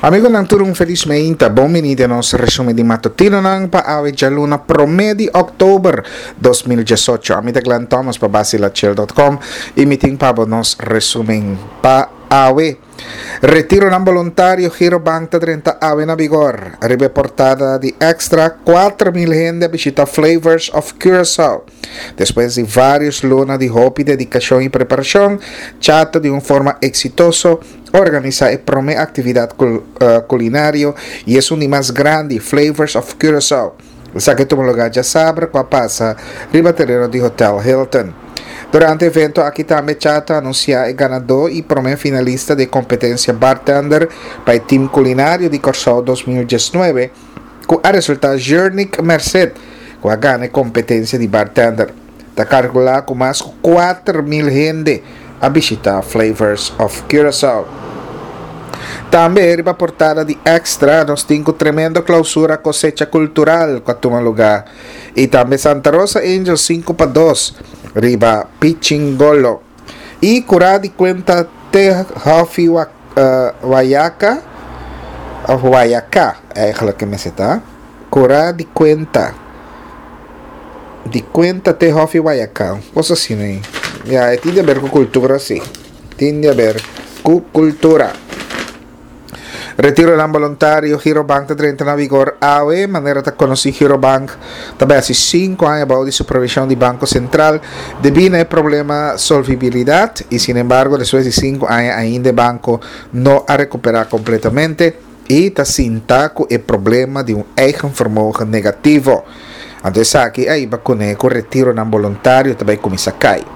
Amigonan tur un felis meinta, bon bini den nos resumen di matutinonan pa awe djaluna prome di oktober 2018. Ami ta Glenn Thomas pa basilachel.com y mi tin pa bo nos resumen pa awe. Retironan boluntario Girobank ta drenta awe na vigor. Riba e portada di Extra, 4.000 hende a bishita Flavors of Curaçao. Despues di varios luna di hopi dedicacion y preparacion, Chato di un forma exitoso organisa e prome actividad culinario y esun di mas grandi, Flavors of Curaçao. Esaki a tuma lugar djasabra cu a pasa riba tereno di Hotel Hilton. Durante e evento aki tambe Chato a anuncia e ganador y prome finalista di e competencia bartender pa e team culinario di Corsou 2019, cu a resulta Jurnick Merced, cu a gana e competencia di bartender. Ta calcula cu mas cu 4,000 hende a bishita Flavors of Curaçao. Tambe riba portada di Extra nos tin cu tremendo clausura cosecha cultural cu a tuma lugar y tambe Santa Rosa Angels 5-2 riba Pichingolo. Y cura di cuenta te Hofi Wayaca of Wayaca eigenlijk mester ta cura di cuenta di cuenta te Hofi Wayaca un cosa asina ey ya e tin di haber cu cultura si tin di haber cu cultura. Retironan boluntario Girobank ta drenta na vigor awe. Manera ta konosí Girobank ta bai hasi sinku aña bou di supervishon di Banko Sentral debí na e problema solvibilidat i sinembargo despues di sinku aña ainda e banko no a rekuperá kompletamente i ta sinta ku e problema di un eigen vermogen negativo. Anto esaki a hiba kuné ku retironan boluntario ta bai kuminsá kai.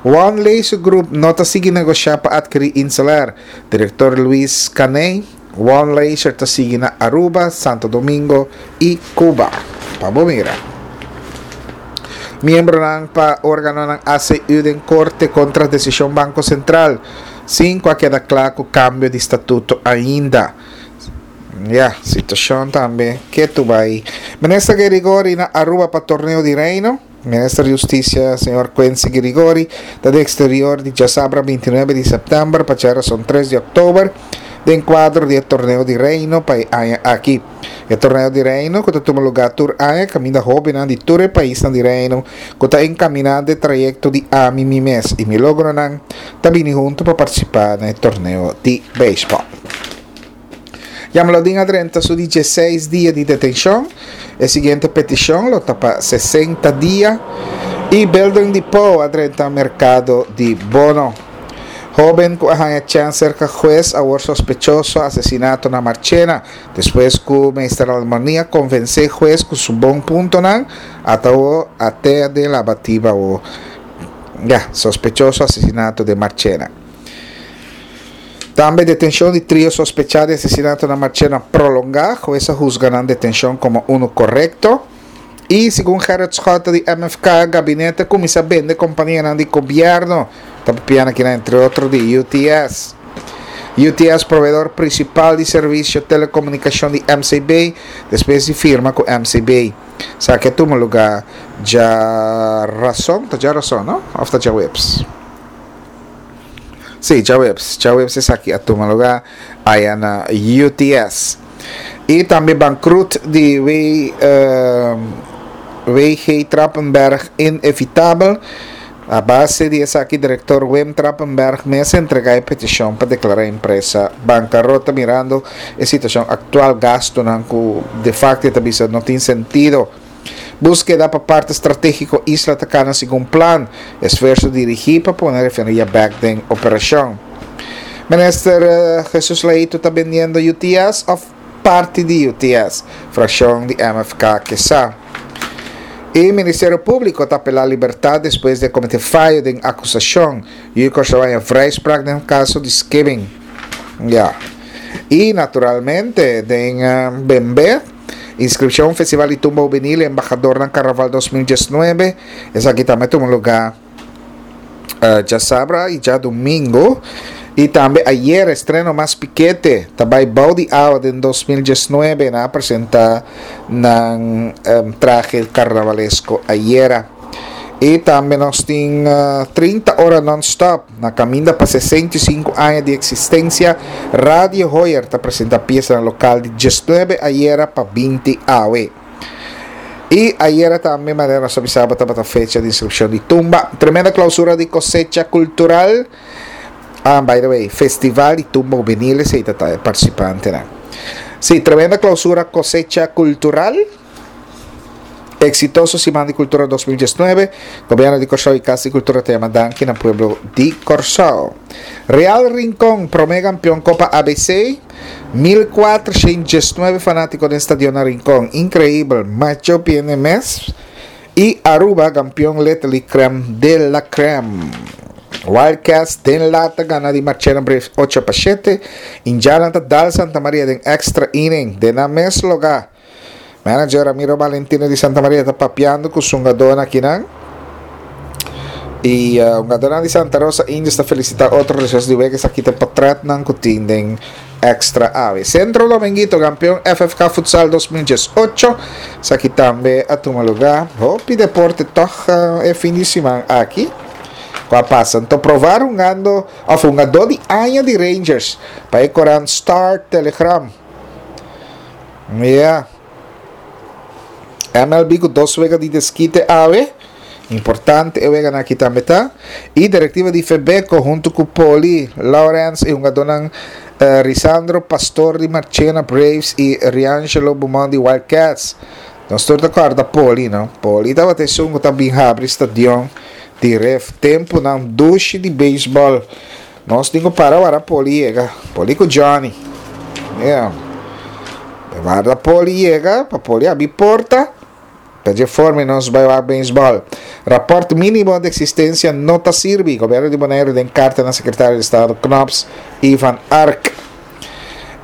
One Laser Group no ta sigui negoshá pa atkerí Inselair. Director Luis Caney, One Leisure ta sigui na Aruba, Santo Domingo y Cuba. Pa bo mira. Miembronan pa organonan ACU den corte contra decision Banco Central, sin cu a keda cla cu cambio di statuto ainda. Ya, situacion tambe ketu bay. Minister Gerigori na Aruba pa torneo di Reino. Minister di Hustisia, señor Quincy Girigori, ta den exterior di djasabra 29 di sèptèmber pa djarason 3 di òktober den kuadro di e Torneo di Reino pa e aña aki. E Torneo di Reino ku ta tuma lugá tur aña kaminda hóbennan di tur e paisnan di Reino ku ta enkaminá den trayekto di Ami Mi Mes i Mi Logronan ta bini huntu pa partisipá na e torneo di beisbòl. Jamlodin a drenta su di dieseis dia di detenshon. E siguiente petishon lo ta pa 60 dia. I Building Depot a drenta merkado di bono. Hoben ku a haña chèns serka hues awor sospechoso asesinato na Marchena. Despues ku Meester Almoni a konvensé hues ku su bon puntonan, ata awo a te den labatiba awo. Ya, sospechoso asesinato den Marchena. Tambe detenshon di trio sospechá di asesinato na Marchena prolongá. Hues a husga nan detenshon komo unu korekto. I segun Gerrit Schotte di MFK, gabinete a kuminsá bende kompanianan di gobièrnu. Ta papiando akinan entre otro di UTS. UTS proveedor prinsipal di servisio telekomunikashon di MCB, despues di firma ku MCB. Esaki a tuma lugá djarason, ta djarason no? Òf ta djaweps? Sí, djaweps. Djaweps esaki a tuma lugar aya na UTS. Y tambe bankrut di W, uh, WG Trappenberg inevitabel. A base di esaki director Wim Trappenberg mes a entrega e peticion pa declara e empresa bancarota mirando e situacion actual gastonan cu de facto e ta bisa no tin sentido. Búskeda pa parti stratégiko Isla ta kana segun plan. Esfuerso dirigí pa pone refineria bèk den operashon. Minister Jesus Leito ta bendiendo UTS òf parti di UTS? Frakshon di MFK ke sa. E Ministerio Públiko ta apelá libertat despues di a kometé fayo den akusashon. Yu Kòrsou haña vrijspraak den kaso di skimming. Ya. I naturalmente den Bembé. Inscripcion Festival di Tumba Hubenil Embahadornan Carnaval 2019. Esaki tambe tuma lugar uh, djasabra y djadomingo. Y tambe ayer estreno Mas Pikete ta bay bou di awa den 2019. Nan a presenta nan um, traje carnavalesco ayera. I tambe nos tin 30 ora non-stop na kaminda pa 65 aña di eksistensia. Radio Hoyer ta presenta piesanan lokal di 19 ayera pa 20 awe. I ayera tambe manera nos a bisa bo tabata fecha di inskripshon di tumba. Tremenda klausura di kosecha kultural. Ah, by the way, Festival di Tumba Hubenil esei ta ta e partisipantenan. Sí, tremenda klausura kosecha kultural. Exitoso Siman di Kultura 2019, Gobierno di Kòrsou i Kas di Kultura ta yama danki na pueblo di Kòrsou. Real Rincon, promé kampion Kopa ABC, 1419 fanátiko den stadion na Rincon. Inkreibel, macho piene mes. I Aruba, kampion Little League Crème de la Crème. Wildcats den lata gana di Marchena Braves 8-7. Indianan ta dal Santa Maria den extra inning den nan mes logá. Manager Ramiro Valentino di Santa Maria ta papiando cu su hungadornan akinan. Y uh, hungadornan di Santa Rosa Indios ta felicita otro reces di wega. Esaki ta potretnan cu tin den extra awe. Centro Dominguito, campeon FFK Futsal 2018. Esaki tambe a tuma lugar. Hopi deporte toch uh, e fin di siman aki. Cu a pasa. Anto provar hungando, of hungador di aña di Rangers pa e corant Star Telegram. Ya. MLB ku dos wega di deskite awe. Importante e weganan aki tambe ta. I direktiva di Febeko huntu ku Poli Lawrence i hungadónan eh, Risandro Pastor di Marchena Braves i Riangelo Beaumont di Wild Cats. Nos tur ta kòrda Poli, no? Poli tabata esun ku ta bin habri stadion di Ref. Tempunan dushi di beisbòl. Nos tin ku para wara Poli yega. Poli ku Johnny. Yeah. Warda Poli yega, pa Poli abi porta. Pa dje forma nos bai wak beisbòl. Rapòrt mínimo di eksistensia no ta sirbi. Gobièrnu di Boneiru den karta na Sekretario di Estado Knops i Van Ark.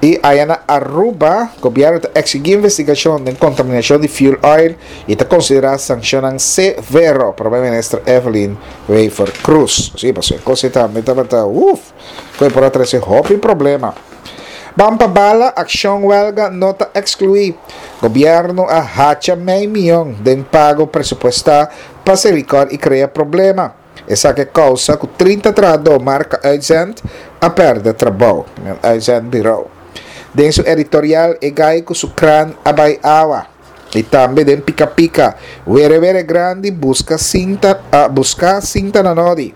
I aya na Aruba, gobièrnu ta eksigí investigashon den kontaminashon di fuel oil i ta konsiderá sanshonnan severo, Prome Minister Evelyn Wever-Croes. Sí, pasobra e kos ei tambe tabata, uf, ku e por a trese hopi problema. Ban pa bala, akshon wèlga no ta ekskluí. Gobièrnu a hacha mei mion den pago presupuestá pa Selikor i krea problema. Esaki a kousa ku 30 trahadó marka Uitzend a pèrdè trabou, uitzendbureau. Den su editorial e gai ku su kran a bai awa. I tambe den Pika Pika, Were Were Grandi buska sinta a buska sinta na nodi.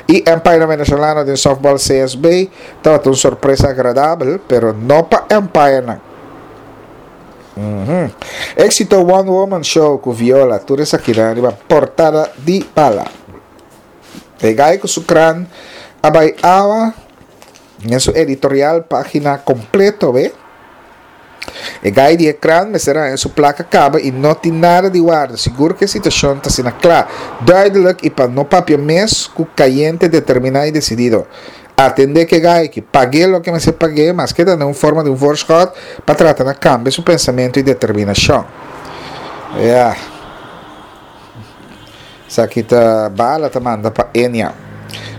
I Empire Venezolano den softball CSB tabata un sorpresa agradabel, pero no pa Empirenan. Éxito One Woman Show ku Viola, tur esakinan riba portada di Bala. E gai ku su kran a bai awa den su editorial página kompleto be. E gai di e kran mester haña su plaka kaba i no tin nada di warda. Sigur ku e situashon ta asina kla, duidelijk i pa no papia mes ku kayente determiná i desidido. Atendé ku e gai ki pag'é loke mester pag'é, maske ta den un forma di un voorschot pa trata na kambia su pensamentu i determinashon. Ya. Esaki ta Bala ta manda pa Enia.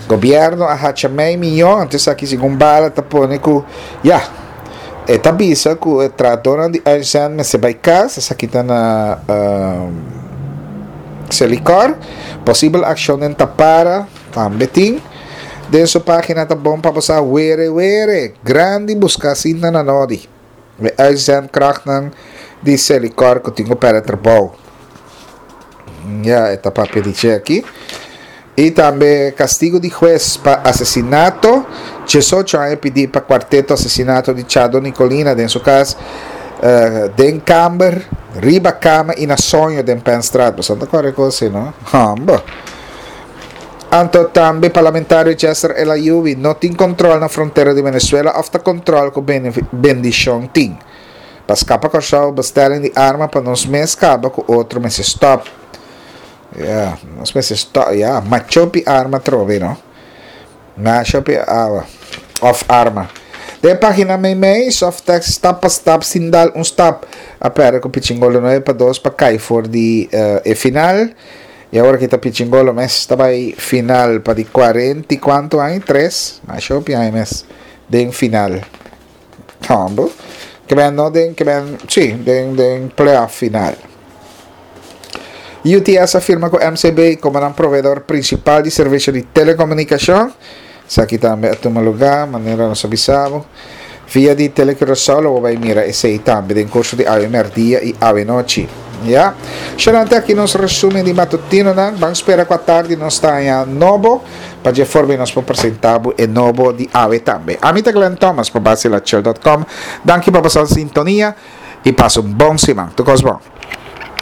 Gobièrnu a hacha mei miyon, anto esaki segun Bala ta pone ku, ya, e ta bisa ku e trahadónan di uitzend mester bai kas, esaki ta na Selikor. Posibel akshon den Tapara. Tambe tin den su pagina ta bon pa bo sa were were grandi buska sinta na nodi. E uitzendkrachtnan di Selikor ku tin ku pèrdè trabou. Ya e ta papia di dje aki. I tambe kastigu di hues pa asesinato. 18 aña pidi pa kuarteto asesinato di Chado Nicolina den su kas den kamber, riba kama i na soño den Penstraat. Boso no ta kòrda e kos ei no? Hòmber. Anto tambe parlamentario Chester El Ayoubi no tin control na frontera di Venezuela of ta control cu bendicion tin. Pa scapa Corsou bestelling di arma pa nos mes caba cu otro mester stop. Ya, nos mester stop, ya, machopi arma trobe no. Machopi awa of arma. Den pagina meimei, Softex stap pa stap sin dal un stap a perde cu Pichingolo 9-2 pa cay for di e final. I awor ki ta Pichingolo mes ta bai final pa di cuarenta i cuanto aña? Tres? Masha hopi aña mes den final. Humble. Ke men no den, ke men, sí, den, den playoff final. UTS a firma ku MCB komo nan proveedor prinsipal di servisio di telekomunikashon. Esaki tambe a tuma lugá, manera nos a bisa bo. Via di Telecuraçao lo bo bai mira esei tambe den kurso di awe mèrdia i awe nochi. Ya. Shanante aki nos resumen di matutinonan. Ban spera ku atardi nos ta haña nobo pa dje forma nos por presentá bo e nobo di awe tambe. Ami ta Glenn Thomas pa Basilachel dot com. Danki pa boso sintonia i pasa un bon siman. Tur kos bon.